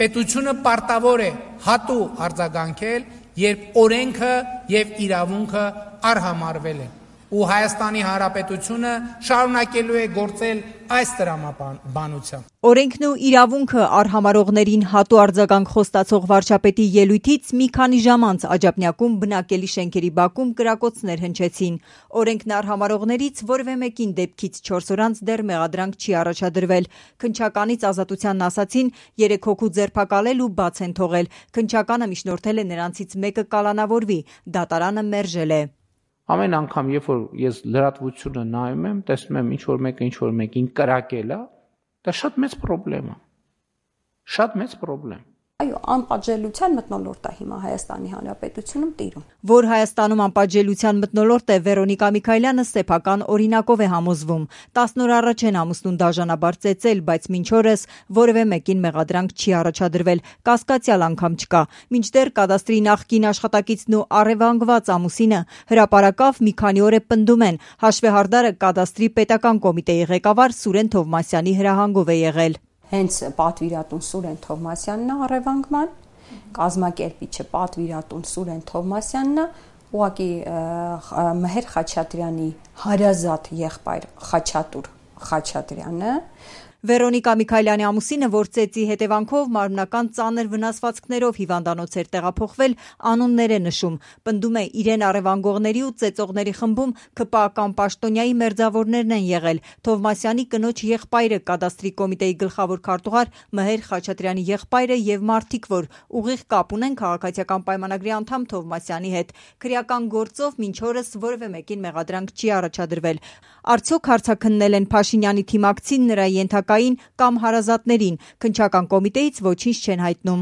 պետությունը պարտավոր է հատու արձագանքել, երբ օրենքը եւ իրավունքը արհամարվել են։ Ու Հայաստանի Հանրապետությունը շարունակելու է գործել այս տրամաբանությամբ։ Օրենքն ու իրավունքը արհամարողներին հատու արձագանք խոստացող վարչապետի ելույթից մի քանի ժամ անց Աջափնյակում բնակելի շենքերի բակում կրակոցներ հնչեցին։ Օրենքն արհամարողներից որևէ մեկին դեպքից 4 օր անց դեռ մեղադրանք չի առաջադրվել։ Քննչականից ազատությանն ասացին 3 հոգու ձերբակալել ու բաց են թողել։ Քննչականը միջնորդել է նրանցից մեկը կալանավորվի, դատարանը մերժել է։ Ամեն անգամ, երբ որ ես լրատվությունը նայում եմ, տեսնում եմ ինչ-որ մեկին կրակել է, դա շատ մեծ խնդրեմ է։ Շատ մեծ խնդրեմ։ Այո, անպատժելիության մթնոլորտ է հիմա Հայաստանի Հանրապետությունում տիրում։ Որ Հայաստանում անպատժելիության մթնոլորտ է, Վերոնիկա Միքայելյանը սեփական օրինակով է համոզվում։ 10 օր առաջ են ամուսնուն դաժանաբար ծեծել, բայց մինչ օրս որևէ մեկին մեղադրանք չի առաջադրվել, կասկածյալ անգամ չկա։ Մինչդեռ կադաստրի նախկին աշխատակիցն ու առևանգված ամուսինը հրապարակավ մի քանի օր է պնդում են, հաշվեհարդարը կադաստրի պետական կոմիտեի ղեկավար Սուրեն Թովմասյանի հրահանգով է եղել։ Հենց պատվիրատուն Սուրեն Թովմասյանն է առևանգման, կազմակերպիչը պատվիրատուն Սուրեն Թովմասյանն է, ուղղակի Մհեր Խաչատրյանի հարազատ եղբայր Խաչատուր Խաչատրյանը։ Վերոնիկա Միքայելյանի ամուսինը, որ ծեծի հետևանքով մարմնական ծանր վնասվածքներով հիվանդանոց էր տեղափոխվել, անուններ է նշում, պնդում է իրեն առևանգողների ու ծեծողների խմբում ՔՊԱ-ական պաշտոնյայի մերձավորներն են եղել, Թովմասյանի կնոջ եղբայրը, կադաստրի կոմիտեի գլխավոր քարտուղար Մհեր Խաչատրյանի եղբայրը եւ մարդիկ, որ ուղիղ կապ ունեն քաղաքացիական պայմանագրի անդամ Թովմասյանի հետ։ Քրեական գործով մինչ օրս որևէ մեկին մեղադրանք չի առաջադրվել։ Արդյոք հարցաքննել են Փաշինյանի թիմակցին, նրա ենթակային կամ հարազատներին, քննչական կոմիտեից ոչինչ չեն հայտնում։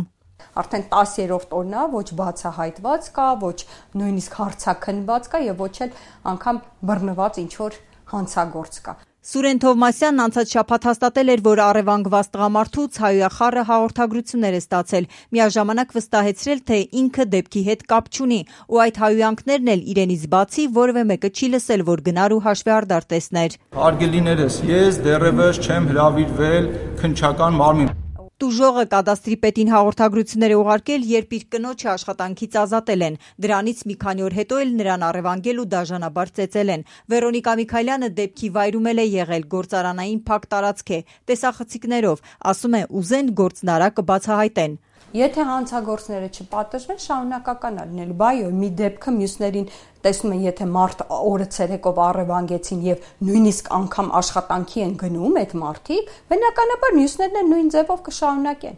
Արդեն 10-րդ օրն է, ոչ բացահայտված կա, ոչ նույնիսկ հարցաքննված կա եւ ոչ էլ անգամ բռնված ինչ-որ հանցագործ կա։ Սուրեն Թովմասյանն անցած շաբաթ հաստատել էր, որ առևանգված տղամարդուց հայոյախառը հաղորդագրություններ է ստացել, միաժամանակ վստահեցրել, թե ինքը դեպքի հետ կապ չունի, ու այդ հայոյանքներն էլ իրենից բացի որևէ մեկը չի լսել, որ գնար ու հաշվեհարդար տեսներ։ Հարգելիներս, ես դեռևս չեմ հրավիրվել քննչական մարմին։ Տուժողը կադաստրի պետին հաղորդագրություններ է ուղարկել, երբ իր կնոջը աշխատանքից ազատել են։ Դրանից մի քանի օր հետո էլ նրան առևանգել ու դաժանաբար ծեծել են։ Վերոնիկա Միքայելյանը դեպքի վայրում էլ է եղել, գործարանային փակ տարածք է, տեսախցիկներով, ասում է ուզեն գործնարակը կբացահայտեն։ Եթե հանցագործները չպատժվեն, շարունակական է լինելու, բայո, մի դեպքը մյուսներին տեսնում են, եթե մարդ օրը ցերեկով առևանգեցին եւ նույնիսկ անգամ աշխատանքի են գնում այդ մարդիկ, բնականաբար մյուսներն են նույն ձևով կշարունակեն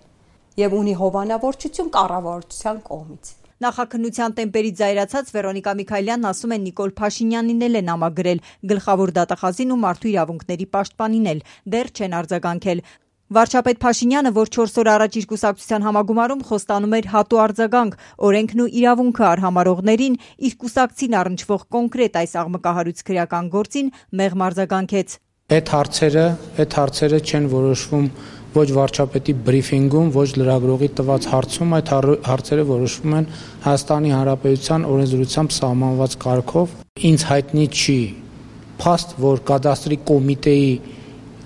եւ ունի հովանավորչություն կառավարության կողմից։ Նախաքննության տեմպերից զայրացած Վերոնիկա Միքայելյանն ասում է Նիկոլ Փաշինյանին էլ են համագրել, գլխավոր դատախազին ու մարդու իրավունքների պաշտպանին էլ, դեռ չեն արձագանքել։ Վարչապետ Փաշինյանը, որ 4 օր առաջ իր կուսակցության համագումարում խոստանում էր հատու արձագանք, օրենքն ու իրավունքը արհամարողներին, իր կուսակցին առնչվող կոնկրետ այս աղմկահարույց քրեական գործին մեղմ արձագանքեց։ Այդ հարցերը չեն որոշվում ոչ վարչապետի բրիֆինգում, ոչ լրագրողի տված հարցում, այդ հարցերը որոշվում են Հայաստանի Հանրապետության օրենսդրությամբ սահմանված կարգով։ Ինձ հայտնի չի փաստ, որ կադաստրի կոմիտեի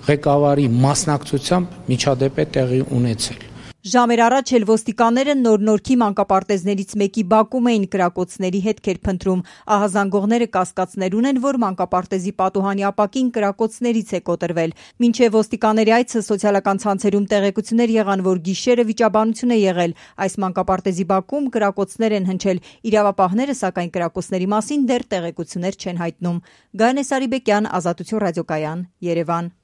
ղեկավարի մասնակցությամբ միջադեպ է տեղի ունեցել։ Ժամեր առաջ էլ ոստիկանները նոր-նորքի մանկապարտեզներից մեկի բակում էին կրակոցների հետքեր փնտրում։ Ահազանգողները կասկածներ ունեն, որ մանկապարտեզի պատուհանի ապակին կրակոցներից է կոտրվել։ Մինչև ոստիկանների այցը սոցիալական ցանցերում տեղեկություններ եղան, որ գիշերը վիճաբանություն է եղել։ Այս մանկապարտեզի բակում կրակոցներ են հնչել։ Իրավապահները, սակայն կրակոցների մասին դեռ տեղեկություններ չեն հայտնում։ Գայանե Սարիբեկյան, Ազատություն ռադիոկայան, Երևան։